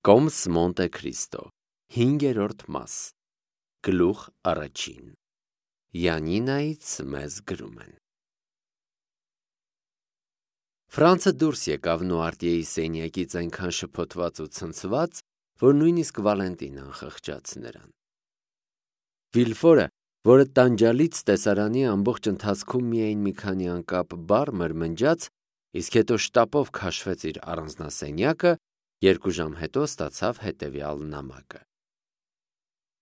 Կոմս Մոնտե Քրիստո 5-րդ մաս Գլուխ առաջին Յանինայից մեզ գրում են Ֆրանցը դուրս եկավ Նուարտիեի սենյակից այնքան շփոթված ու ցնցված, որ նույնիսկ Վալենտինան խղճաց նրան։ Վիլֆորը, որը տանջալից տեսարանի ամբողջ ընթացքում միայն մի քանի անկապ բառ մրմնջաց, իսկ հետո շտապով քաշվեց իր առանձնասենյակը, 2 ժամ հետո ստացավ հետևյալ նամակը.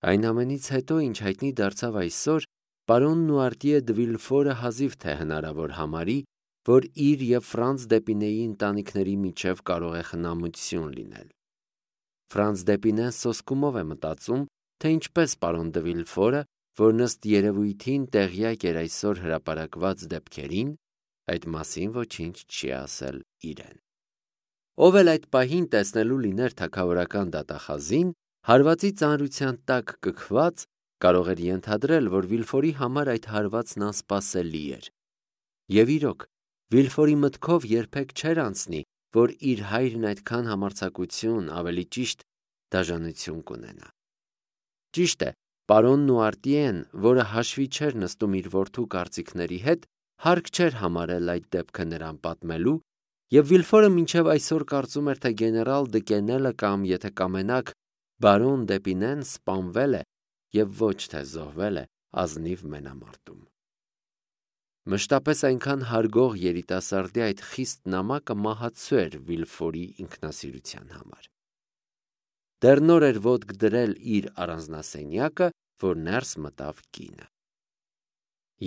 Այն ամենից հետո, ինչ հայտնի դարձավ այսօր, պարոն Նուարտիե դը Վիլֆորը հազիվ թե հնարավոր համարի, որ իր և Ֆրանց Դեպինեի ընտանիքների միջև կարող է խնամություն լինել։ Ֆրանց Դեպինեն սոսկումով է մտածում, թե ինչպես պարոն դը Վիլֆորը, որն ըստ երևույթին տեղյակ էր այսօր հրապարակված դեպքերին, այդ մասին ոչինչ չի ասել իրեն։ Ով էլ այդ պահին տեսնելու լիներ թագավորական դատախազին, հարվածի ծանրության տակ կքված, կարող էր ենթադրել, որ Վիլֆորի համար այդ հարվածն անսպասելի էր։ Եվ իրոք, Վիլֆորի մտքով երբեք չէր անցնի, որ իր հայրն այդքան համարձակություն, ավելի ճիշտ, դաժանություն կունենա։ Ճիշտ է, պարոն Նուարտիեն, որը հաշվի չէր նստում իր որդու կարծիքների հետ, հարկ չէր համարել այդ դեպքը նրան պատմելու, և Վիլֆորը մինչև այսօր կարծում էր, թե գեներալ Դկենելը կամ, եթե կամենաք, բարոն Դեպինեն սպանվել է և ոչ թե զոհվել է ազնիվ մենամարտում։ Մշտապես այնքան հարգող երիտասարդի այդ խիստ նամակը մահացու էր Վիլֆորի ինքնասիրության համար։ Դեռ նոր էր ոտք դրել իր առանձնասենյակը, որ ներս մտավ կինը։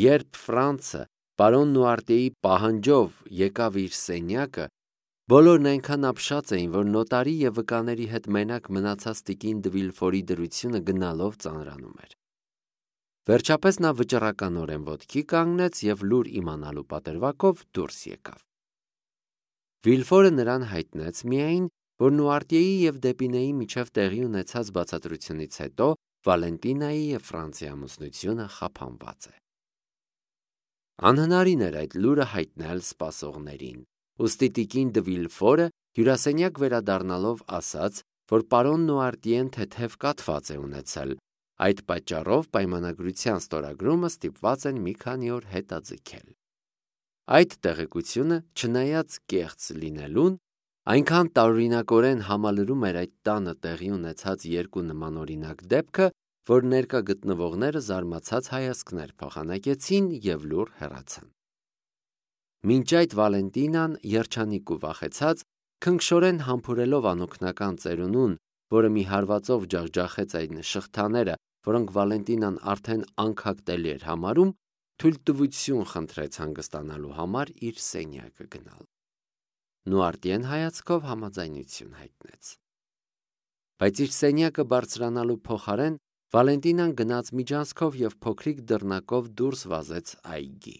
Երբ Ֆրանցը պարոն Նուարտիեի պահանջով եկավ իր սենյակը, բոլորն այնքան ապշած էին, որ նոտարի և վկաների հետ մենակ մնացած տիկին դը Վիլֆորի դրությունը գնալով ծանրանում էր։ Վերջապես նա վճռականորեն ոտքի կանգնեց և լուր իմանալու պատրվակով դուրս եկավ։ Վիլֆորը նրան հայտնեց միայն, որ Նուարտիեի և Դեպինեի միջև տեղի ունեցած բացատրությունից հետո Վալենտինայի և Ֆրանցի ամուսնությունը խափանված է։ Անհնարին էր այդ լուրը հայտնել սպասողներին, ուստի տիկին դը Վիլֆորը հյուրասենյակ վերադառնալով ասաց, որ պարոն Նուարտիեն թեթև կաթված է ունեցել, այդ պատճառով պայմանագրության ստորագրումը ստիպված են մի քանի օր հետաձգել։ Այդ տեղեկությունը, չնայած կեղծ լինելուն, այնքան տարօրինակորեն համալրում էր այդ տանը տեղի ունեցած երկու նմանօրինակ դեպքը, որ ներկա գտնվողները զարմացած հայացքներ փոխանակեցին և լուռ հեռացան։ Մինչ այդ Վալենտինան, երջանիկ ու վախեցած, քնքշորեն համբուրելով անօգնական ծերունուն, որը մի հարվածով ջախջախեց այն շղթաները, որոնք Վալենտինան արդեն անքակտելի էր համարում, թույլտվություն խնդրեց հանգստանալու համար իր սենյակը գնալ։ Նուարտիեն հայացքով համաձայնություն հայտնեց։ Բայց իր սենյակը բարձրանալու փոխարեն Վալենտինան գնաց միջանցքով և փոքրիկ դռնակով դուրս վազեց այգի։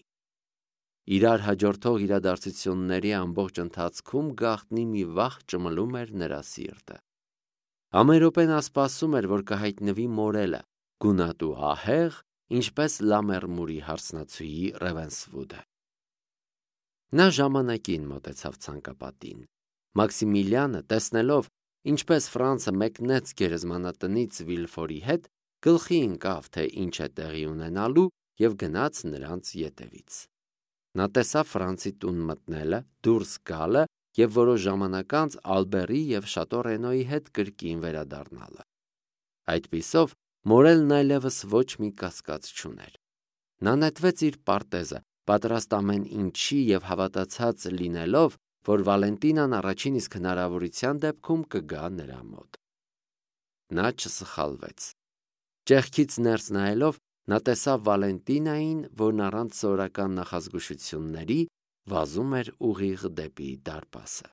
Իրար հաջորդող իրադարձությունների ամբողջ ընթացքում գաղտնի մի վախ ճմլում էր նրա սիրտը։ Ամեն րոպե նա սպասում էր, որ կհայտնվի Մորելը, գունատ ու ահեղ, ինչպես Լամերմուրի հարսնացուի Ռևենսվուդը։ Նա ժամանակին մոտեցավ ցանկապատին։ Մաքսիմիլիանը, տեսնելով, ինչպես Ֆրանցը մեկնեց գերեզմանատնից Վիլֆորի հետ, գլխի ընկավ, թե ինչ է տեղի ունենալու, և գնաց նրանց ետևից։ Նա տեսավ Ֆրանցի տուն մտնելը, դուրս գալը և որոշ ժամանակ անց Ալբերի և Շատո Ռենոյի հետ կրկին վերադառնալը։ Այդպիսով Մորելն այլևս ոչ մի կասկած չուներ։ Նա նետվեց իր պարտեզը, պատրաստ ամեն ինչի և հավատացած լինելով, որ Վալենտինան առաջին իսկ հնարավորության դեպքում կգա նրա մոտ։ Նա չսխալվեց։ Ճեղքից ներս նայելով, նա տեսավ Վալենտինային, որն առանց սովորական նախազգուշությունների վազում էր ուղիղ դեպի դարպասը։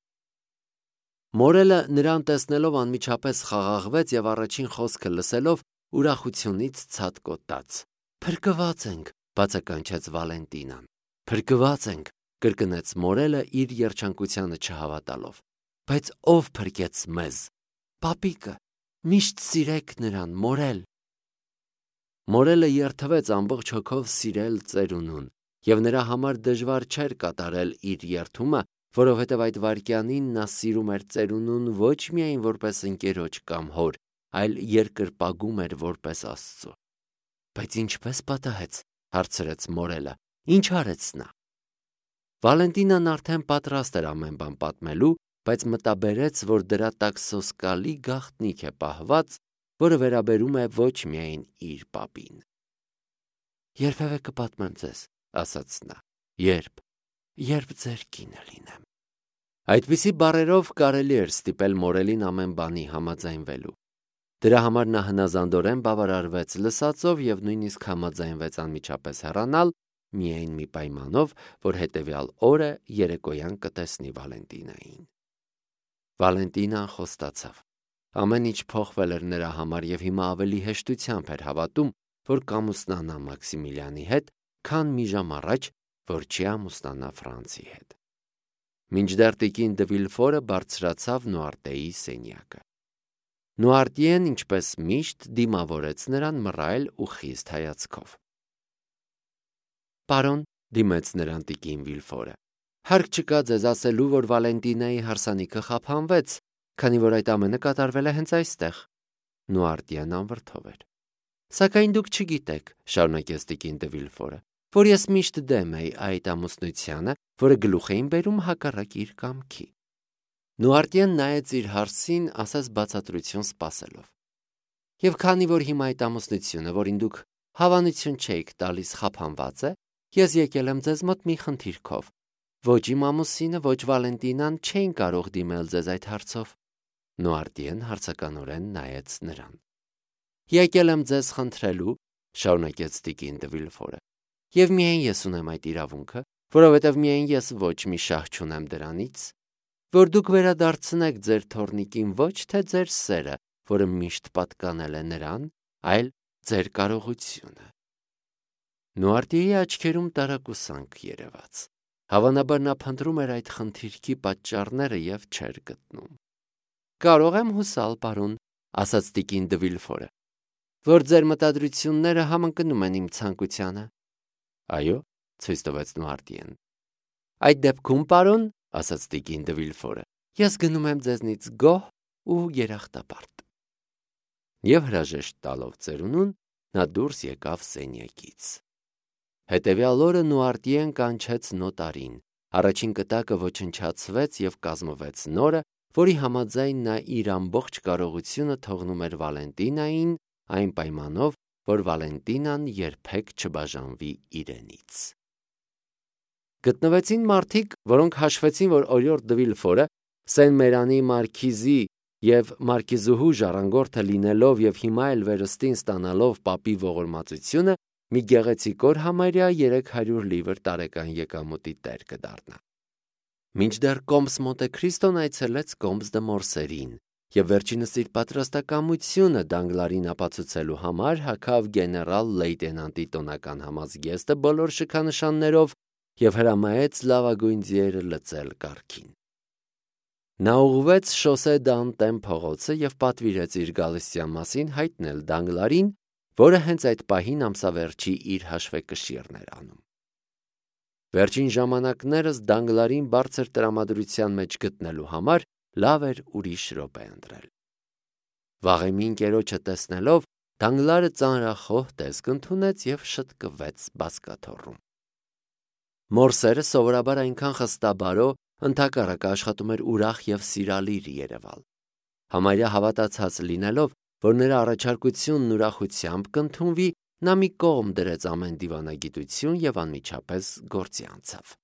Մորելը նրան տեսնելով անմիջապես խաղաղվեց և առաջին խոսքը լսելով ուրախությունից ցատկոտաց։ «Փրկված ենք», բացականչեց Վալենտինան։ «Փրկված ենք», կրկնեց Մորելը իր երջանկությանը չհավատալով։ «Բայց ով փրկեց մեզ»։ «Պապիկը, միշտ սիրեք նրան, Մորել»։ Մորելը երդվեց ամբողջ հոգով սիրել ծերունուն, և նրա համար դժվար չէր կատարել իր երդումը, որովհետև այդ վայրկյանին նա սիրում էր ծերունուն ոչ միայն որպես ընկերոջ կամ հոր, այլ երկրպագում էր որպես Աստծո։ Բայց ինչպես պատահեց, հարցրեց Մորելը, ինչ արեց նա։ Վալենտինան արդեն պատրաստ էր ամեն բան պատմելու, բայց մտաբերեց, որ դրա տակ սոսկալի գաղտնիք է պահված, որը վերաբերում է ոչ միայն իր պապին։ Երբևէ կպատմեմ ձեզ, ասաց նա, երբ ձեր կինը լինեմ։ Այդպիսի բառերով կարելի էր ստիպել Մորելին ամեն բանի համաձայնվելու։ Դրա համար նա հնազանդորեն բավարարվեց լսածով եւ նույնիսկ համաձայնվեց անմիջապես հեռանալ, միայն մի պայմանով, որ հետևյալ օրը երեկոյան կտեսնի Վալենտինային։ Վալենտինան խոստացավ։ Ամեն ինչ փոխվել էր նրա համար եւ հիմա ավելի հեշտությամբ էր հավատում, որ կամուսնանա Մաքսիմիլիանի հետ, քան մի ժամ առաջ, որ չի ամուսնանա Ֆրանցի հետ։ Մինչդեռ տիկին դը Վիլֆորը բարձրացավ Նուարտեի սենյակը։ Նուարտիեն, ինչպես միշտ, դիմավորեց նրան մռայլ ու խիստ հայացքով։ Պարոն, դիմեց նրան տիկին Վիլֆորը, հարկ չկա ձեզ ասելու, որ Վալենտինայի հարսանիքը խափանվեց, քանի որ այդ ամենը կատարվել է հենց այստեղ։ Նուարտիեն անվրդով էր։ Սակայն դուք չգիտեք, շարունակեց տիկին դը Վիլֆորը, որ ես միշտ դեմ էի այդ ամուսնությանը, որը գլուխ էին բերում հակառակ իր կամքի։ Նուարտիեն նայեց իր հարսին, ասես բացատրություն սպասելով։ Եվ քանի որ հիմա այդ ամուսնությունը, որին դուք հավանություն չէիք տալիս, խափանված է, ես եկել եմ ձեզ մոտ մի խնդիրքով։ Ոչ իմ ամուսինը, ոչ Վալենտինան չէին կարող դիմել ձեզ այդ հարցով։ Նուարտիեն հարցականորեն նայեց նրան։ Եկել եմ ձեզ խնդրելու, շարունակեց տիկին դը Վիլֆորը, եւ միայն ես ունեմ այդ իրավունքը, որովհետեւ միայն ես ոչ մի շահ չունեմ դրանից, որ դուք վերադարձնեք ձեր թոռնիկին ոչ թե ձեր սերը, որը միշտ պատկանել է նրան, այլ ձեր կարողությունը։ Նուարտիեի աչքերում տարակուսանք երևաց։ Հավանաբար նա փնտրում էր այդ խնդիրքի պատճառները եւ չէր գտնում։ Կարող եմ հուսալ, պարոն, ասաց տիկին դը Վիլֆորը, որ ձեր մտադրությունները համընկնում են իմ ցանկությանը։ Այո, ցույց տվեց Նուարտիեն։ Այդ դեպքում, պարոն, ասաց տիկին դը Վիլֆորը, ես գնում եմ ձեզնից գոհ ու երախտապարտ։ Եվ հրաժեշտ տալով ծերունուն, նա դուրս եկավ սենյակից։ Հետևյալ օրը Նուարտիեն կանչեց նոտարին։ Առաջին կտակը ոչնչացվեց եւ կազմվեց նորը, որի համաձայն նա իր ամբողջ կարողությունը թողնում էր Վալենտինային, այն պայմանով, որ Վալենտինան երբեք չբաժանվի իրենից։ Գտնվեցին մարդիկ, որոնք հաշվեցին, որ օրիորդ դը Վիլֆորը Սեն-Մերանի մարքիզի եւ մարքիզուհու ժառանգորդը լինելով եւ հիմա էլ վերստին ստանալով պապի ողորմածությունը, մի գեղեցիկ օր համարյա 300 լիվր տարեկան եկամուտի տեր կդառնա։ Մինչդեռ Կոմս Մոնտե Քրիստոն այցելեց Կոմս դը Մորսերին եւ վերջինս իր պատրաստակամությունը Դանգլարին ապացուցելու համար հագավ գեներալ լեյտենանտի տոնական համազգեստը բոլոր շքանշաններով եւ հրամայեց լավագույն ձիերը լծել կառքին։ Նա ուղղվեց Շոսե դ'Անտեմ փողոցը եւ պատվիրեց իր գալստյան մասին հայտնել Դանգլարին, որը հենց այդ պահին ամսավերջի իր հաշվեկշիռն էր անում։ Վերջին ժամանակներս Դանգլարին բարձր տրամադրության մեջ գտնելու համար լավ էր ուրիշ րոպե ընտրել։ Վաղեմի ընկերոջը տեսնելով, Դանգլարը ծանրախոհ տեսք ընդունեց եւ շտկվեց բազկաթոռում։ Մորսերը սովորաբար այնքան խստաբարո, ընդհակառակը աշխատում էր ուրախ եւ սիրալիր երևալ։ Համարյա հավատացած լինելով, որ նրա առաջարկությունն ուրախությամբ կընդունվի, նա մի կողմ դրեց ամեն դիվանագիտություն եւ անմիջապես գործի անցավ։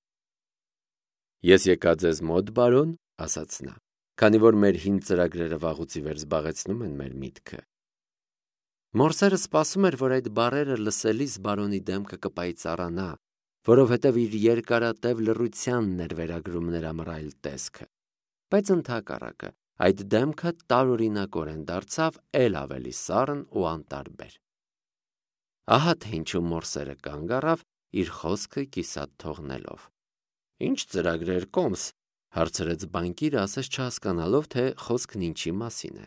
Ես եկա ձեզ մոտ, բարոն, ասաց նա, քանի որ մեր հին ծրագրերը վաղուց ի վեր զբաղեցնում են մեր միտքը։ Մորսերը սպասում էր, որ այդ բառերը լսելիս բարոնի դեմքը կպայծառանա, որովհետև իր երկարատև լռությանն էր վերագրում նրա մռայլ տեսքը, բայց ընդհակառակը այդ դեմքը տարօրինակորեն դարձավ էլ ավելի սառն ու անտարբեր։ Ահա թե ինչու Մորսերը կանգ առավ, իր խոսքը կիսատ թողնելով։ Ինչ ծրագրեր, Կոմս, հարցրեց բանկիրը, ասես չհասկանալով, թե խոսքն ինչի մասին է։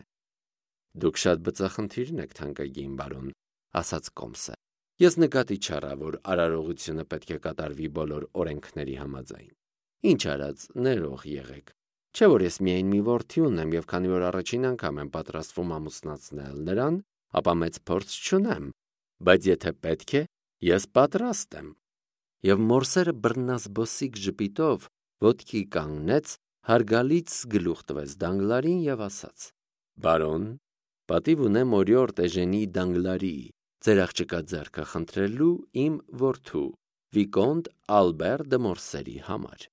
Դուք շատ բծախնդիրն եք, թանկագին բարոն, ասաց Կոմսը։ Ես նկատի չառա, որ արարողությունը պետք է կատարվի բոլոր օրենքների համաձայն։ Ինչ արած, ներող եղեք։ Չէ՞ որ ես միայն մի որդի ունեմ եւ քանի որ առաջին անգամ եմ պատրաստվում ամուսնացնել նրան, ապա մեծ փորձ չունեմ, բայց եթե պետք է, ես պատրաստ եմ։ Եվ մորսերը բռնազբոսիկ ժպիտով ոտքի կանգնեց, հարգալից գլուխ տվեց Դանգլարին եւ ասաց. «Բարոն, պատիվ ունեմ օրիորդ Էժենի Դանգլարի, ձեր աղջկա ձեռքը խնդրելու իմ որդու, Վիկոնտ Ալբեր դե Մորսերի համար»։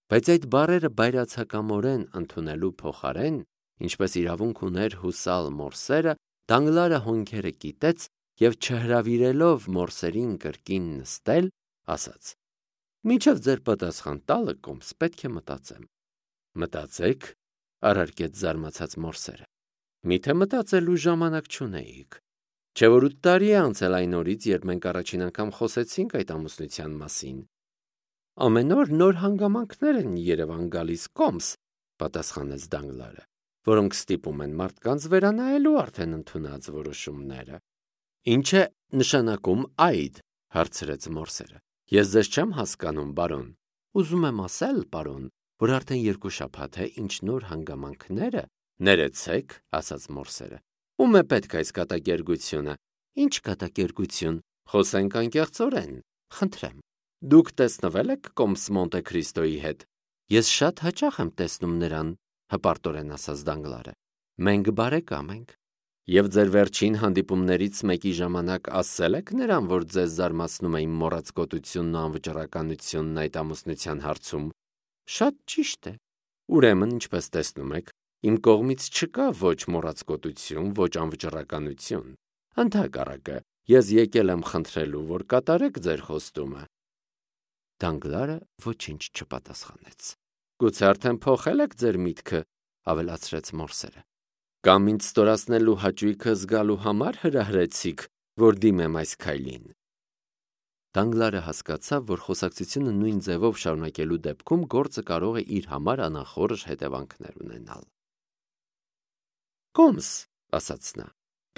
Բայց այդ բառերը բայրացակամորեն ընդունելու փոխարեն, ինչպես իրավունք ուներ հուսալ Մորսերը, Դանգլարը հոնքերը կիտեց եւ չհրավիրելով Մորսերին կրկին նստել, ասաց. «Մինչև ձեր պատասխան տալը կոմս պետք է մտածեմ»։ «Մտածեք», առարկեց զարմացած Մորսերը։ «Միթե մտածելու ժամանակ չունեիք։ Չէ՞ որ 8 տարի է անցել այն օրից, երբ մենք առաջին անգամ խոսեցինք այդ ամուսնության մասին»։ «Ամեն օր նոր հանգամանքներ են Երևան գալիս կոմս», պատասխանեց Դանգլարը, «որոնք ստիպում են մարդկանց վերանայելու արդեն ընդունած որոշումները»։ «Ինչ է նշանակում այդ», հարցրեց Մորսերը։ «Ես ձեզ չեմ հասկանում, բարոն»։ «Ուզում եմ ասել, պարոն, որ արդեն 2 շաբաթ է, ինչ նոր հանգամանքները»։ «Ներեցեք», ասաց Մորսերը։ «Ում է պետք այս կատակերգությունը»։ «Ինչ կատակերգություն, խոսենք անկեղծորեն, խնդրեմ»։ «Դուք տեսնվե՞լ եք կոմս Մոնտե Քրիստոյի հետ»։ «Ես շատ հաճախ եմ տեսնում նրան», հպարտորեն ասաց Դանգլարը։ «Մենք բարեկամ ենք»։ «Եվ ձեր վերջին հանդիպումներից մեկի ժամանակ ասել եք նրան, որ ձեզ զարմացնում է իմ մոռացկոտությունն ու անվճռականությունն այդ ամուսնության հարցում»։ «Շատ ճիշտ է»։ «Ուրեմն, ինչպես տեսնում եք, իմ կողմից չկա ոչ մոռացկոտություն, ոչ անվճռականություն։ Ընդհակառակը, ես եկել եմ խնդրելու, որ կատարեք ձեր խոստումը»։ Դանգլարը ոչինչ չպատասխանեց։ «Գուցե արդեն փոխել եք ձեր միտքը», ավելացրեց Մորսերը։ «Կամ ինձ ստորացնելու հաճույքը զգալու համար հրահրեցիք, որ դիմեմ այս քայլին»։ Դանգլարը հասկացավ, որ խոսակցությունը նույն ձևով շարունակելու դեպքում գործը կարող է իր համար անախորժ հետևանքներ ունենալ։ «Կոմս», ասաց նա,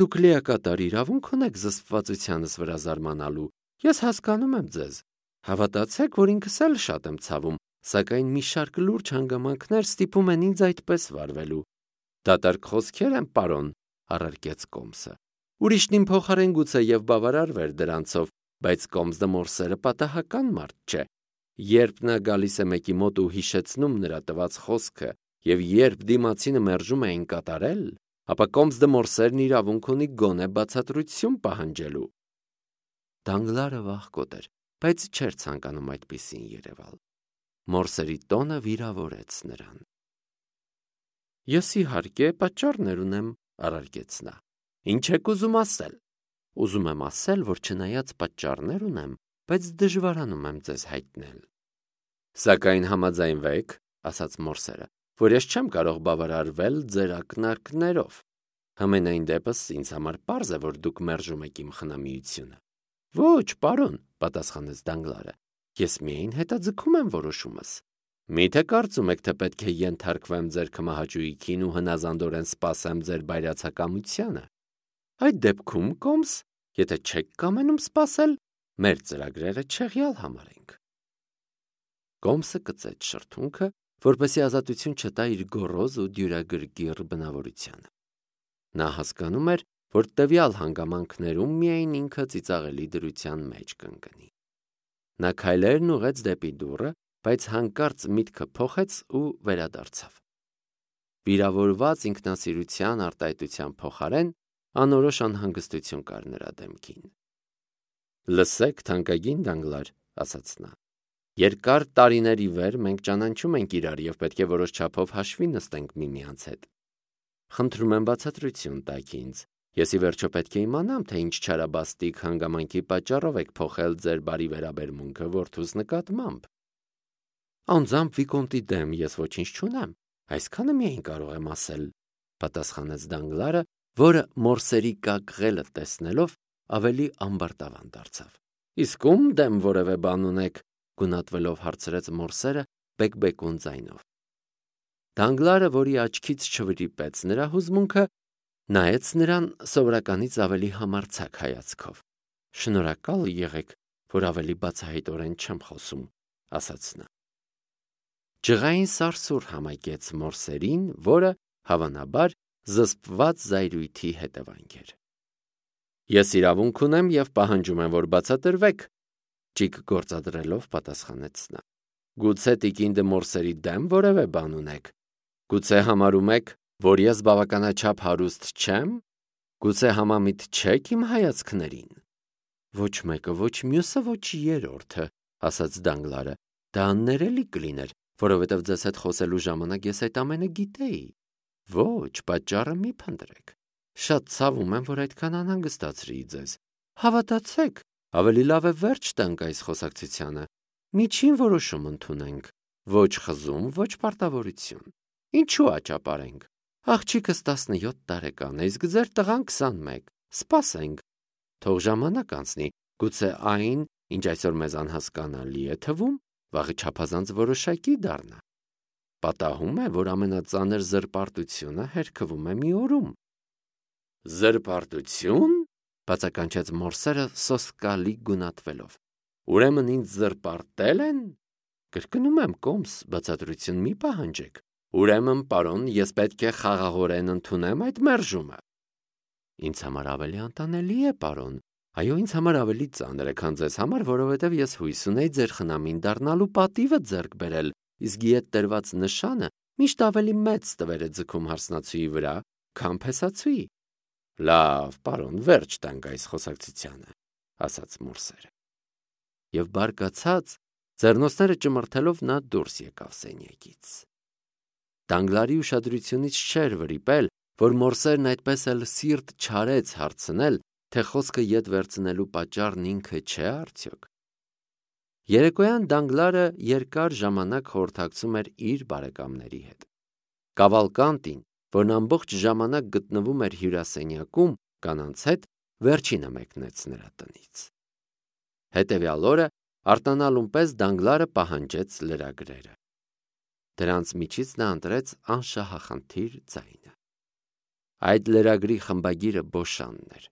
«դուք լիակատար իրավունք ունեք զսպվածությանս վրա զարմանալու։ Ես հասկանում եմ ձեզ։ Հավատացեք, որ ինքս էլ շատ եմ ցավում, սակայն մի շարք լուրջ հանգամանքներ ստիպում են ինձ այդպես վարվելու»։ «Դատարկ խոսքեր են, պարոն», առարկեց Կոմսը։ «Ուրիշն իմ փոխարեն գուցե եւ բավարարվեր դրանցով, բայց Կոմս դե Մորսերը պատահական մարդ չէ։ Երբ նա գալիս է մեկի մոտ ու հիշեցնում նրա տված խոսքը, եւ երբ դիմացինը մերժում է այն կատարել, ապա Կոմս դե Մորսերն իրավունք ունի գոնե բացատրություն պահանջելու»։ Դանգլարը վախկոտ էր, բայց չէր ցանկանում այդպիսին երևալ։ Մորսերի տոնը վիրավորեց նրան։ «Ես իհարկե պատճառներ ունեմ», առարկեց նա։ «Ինչ եք ուզում ասել»։ «Ուզում եմ ասել, որ չնայած պատճառներ ունեմ, բայց դժվարանում եմ ձեզ հայտնել»։ «Սակայն համաձայնվեք», ասաց Մորսերը, «որ ես չեմ կարող բավարարվել ձեր ակնարկներով։ Համենայն դեպս ինձ համար պարզ է, որ դուք մերժում եք իմ խնամիությունը»։ «Ոչ, պարոն», պատասխանեց Դանգլարը, «ես միայն հետաձգում եմ որոշումս։ Միթե կարծում եք, թե պետք է ենթարկվեմ ձեր քմահաճույքին ու հնազանդորեն սպասեմ ձեր բայրացակամությանը։ Այդ դեպքում, Կոմս, եթե չեք կամենում սպասել, մեր ծրագրերը չեղյալ համարենք»։ Կոմսը կծեց շրթունքը, որպեսզի ազատություն չտա իր գոռոզ ու դյուրագրգիռ բնավորությանը։ Նա հասկանում էր, որ տվյալ հանգամանքներում միայն ինքը ծիծաղելի դրության մեջ կընկնի։ Նա քայլերն ուղղեց դեպի դուռը, բայց հանկարծ միտքը փոխեց ու վերադարձավ։ Վիրավորված ինքնասիրության արտահայտության փոխարեն անորոշ անհանգստություն կար նրա դեմքին։ «Լսեք, թանկագին Դանգլար», ասաց նա, «երկար տարիների վեր մենք ճանաչում ենք իրար եւ պետք է որոշ չափով հաշվի նստենք միմյանց հետ։ Խնդրում եմ բացատրություն տաք ինձ։ Ես ի վերջո պետք է իմանամ, թե ինչ չարաբաստիկ հանգամանքի պատճառով եք փոխել ձեր բարի վերաբերմունքը որդուս նկատմամբ»։ «Անձամբ Վիկոնտի դեմ ես ոչինչ չունեմ, այսքանը միայն կարող եմ ասել», պատասխանեց Դանգլարը, որը Մորսերի կակղելը տեսնելով ավելի ամբարտավան դարձավ։ «Իսկ ում դեմ որևէ բան ունեք», գունատվելով հարցրեց Մորսերը բեկբեկուն ձայնով։ Դանգլարը, որի աչքից չվրիպեց նրա հուզմունքը, նայեց նրան սովորականից ավելի համարձակ հայացքով։ «Շնորհակալ եղեք, որ ավելի բացահայտորեն չեմ խոսում», ասաց նա։ Ջղային սարսուռ համայկեց Մորսերին, որը, հավանաբար, զսպված զայրույթի հետևանք էր։ Ես իրավունք ունեմ և պահանջում եմ, որ բացատրվեք, ճիգ գործադրելով պատասխանեց նա։ Գուցե տիկին դե Մորսերի դեմ որևէ բան ունեք։ Գուցե համարում եք, որ ես բավականաչափ հարուստ չեմ։ Գուցե համամիտ չեք իմ հայացքներին։ Ոչ մեկը, ոչ մյուսը, ոչ երրորդը, ասաց Դանգլարը։ Դա աններելի կլիներ, որովհետև ձեզ հետ խոսելու ժամանակ ես այդ ամենը գիտեի։ Ոչ, պատճառը մի փնտրեք։ Շատ ցավում եմ, որ այդքան անհանգստացրի ձեզ։ Հավատացեք, ավելի լավ է վերջ տանք այս խոսակցությանը։ Միջին որոշում ընդունենք։ Ոչ խզում, ոչ պարտավորություն։ Ինչու աճապարենք։ Աղջիկս 17 տարեկան է, իսկ ձեր տղան 21։ Սպասենք։ Թող ժամանակ անցնի, գուցե այն, ինչ այսօր մեզ անհասկանալի է թվում, վաղը չափազանց որոշակի դառնա։ Պատահում է, որ ամենածանր զրպարտությունը հերքվում է մի օրում։ Զրպարտություն, բացականչեց Մորսերը սոսկալի գունատվելով։ Ուրեմն ինձ զրպարտել են։ Կրկնում եմ, կոմս, բացատրություն մի պահանջեք։ Ուրեմն, պարոն, ես պետք է խաղաղորեն ընդունեմ այդ մերժումը։ Ինձ համար ավելի անտանելի է, պարոն։ Այո, ինձ համար ավելի ծանր է, քան ձեզ համար, որովհետև ես հույս ունեի ձեր խնամին դառնալու պատիվը ձեռք բերել, իսկ իդ տրված նշանը միշտ ավելի մեծ տվեր է ձգում հարսնացուի վրա, քան փեսացուի։ Լավ, պարոն, վերջ տանք այս խոսակցությանը, ասաց Մորսերը։ Եվ բարկացած, ձեռնոցները ճմրթելով նա դուրս եկավ սենյակից։ Դանգլարի ուշադրությունից չէր վրիպել, որ Մորսերն այդպես էլ սիրտ չարեց հարցնել, թե խոսքը ետ վերցնելու պատճառն ինքը չէ արդյոք։ Երեկոյան Դանգլարը երկար ժամանակ խորհրդակցում էր իր բարեկամների հետ։ Կավալկանտին, որն ամբողջ ժամանակ գտնվում էր հյուրասենյակում կանանց հետ, վերջինը մեկնեց նրա տնից։ Հետևյալ օրը արտանալուն պես Դանգլարը պահանջեց լրագրերը։ Դրանց միջից նա ընտրեց անշահախնդիր ձայնը։ Այդ լրագրի խմբագիրը Բոշանն էր։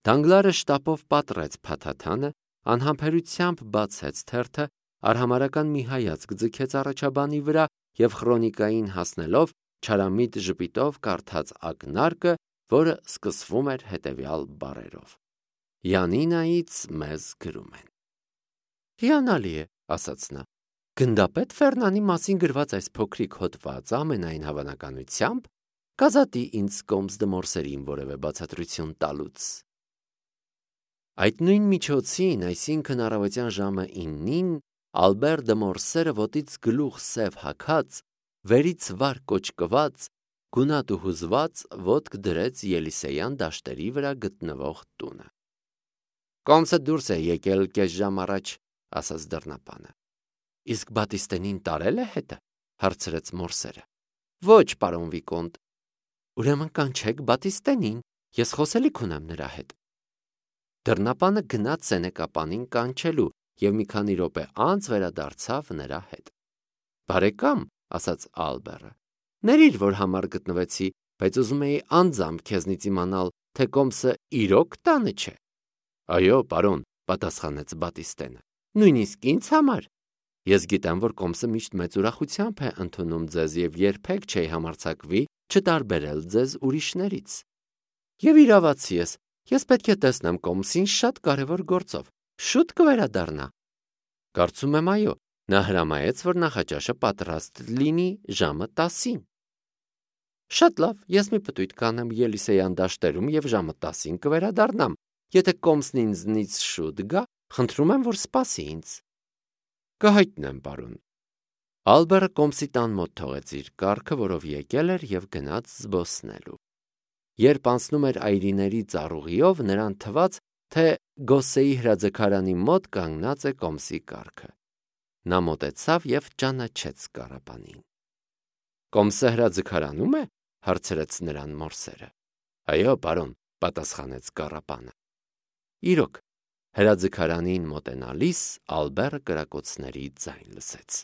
Դանգլարը շտապով պատռեց փաթաթանը, անհամբերությամբ բացեց թերթը, արհամարհական մի հայացք ձգեց առաջաբանի վրա և խրոնիկային հասնելով չարամիտ ժպիտով կարդաց ակնարկը, որը սկսվում էր հետևյալ բառերով. Յանինայից մեզ գրում են։ Հիանալի է, ասաց նա։ Գնդապետ Ֆերնանի մասին գրված այս փոքրիկ հոդվածը ամենայն հավանականությամբ կազատի ինձ կոմս դե Մորսերին որևէ բացատրություն տալուց։ Այդ նույն միջոցին, այսինքն առավոտյան ժամը 9-ին, Ալբեր դե Մորսերը ոտից գլուխ սև հագած, վերից վար կոճկված, գունատ ու հուզված ոտք դրեց Ելիսեյան դաշտերի վրա գտնվող տունը։ Կոմսը դուրս է եկել կես ժամ առաջ, ասաց դռնապանը։ Իսկ Բատիստենին տարել է հետը, հարցրեց Մորսերը։ Ոչ, պարոն Վիկոնտ։ Ուրեմն կանչեք Բատիստենին, ես խոսելիք ունեմ նրա հետ։ Դռնապանը գնաց սենեկապանին կանչելու և մի քանի րոպե անց վերադարձավ նրա հետ։ Բարեկամ, ասաց Ալբերը, ներիր, որ համար գտնվեցի, բայց ուզում էի անձամբ քեզնից իմանալ, թե կոմսը իրոք տանը չէ։ Այո, պարոն, պատասխանեց Բատիստենը, նույնիսկ ինձ համար։ Ես գիտեմ, որ կոմսը միշտ մեծ ուրախությամբ է ընդունում ձեզ և երբեք չի համարձակվի չտարբերել ձեզ ուրիշներից։ Եվ իրավացի ես պետք է տեսնեմ կոմսին շատ կարևոր գործով, շուտ կվերադառնա։ Կարծում եմ, այո, նա հրամայեց, որ նախաճաշը պատրաստ լինի ժամը 10-ին։ Շատ լավ, ես մի պտույտ կանեմ Ելիսեյան դաշտերում և ժամը 10-ին կվերադառնամ։ Եթե կոմսն ինձնից շուտ գա, խնդրում եմ, որ սպասի ինձ։ Կհայտնեմ, պարոն։ Ալբերը կոմսի տան մոտ թողեց իր կառքը, որով եկել էր և գնաց զբոսնելու։ Երբ անցնում էր այրիների ծառուղիով, նրան թվաց, թե Գոսեի հրաձգարանի մոտ կանգնած է կոմսի կառքը։ Նա մոտեցավ և ճանաչեց կառապանին։ Կոմսը հրաձգարանում է, հարցրեց նրան Մորսերը։ Այո, պարոն, պատասխանեց կառապանը։ Իրոք, հրաձգարանին մոտենալիս Ալբերը կրակոցների ձայն լսեց։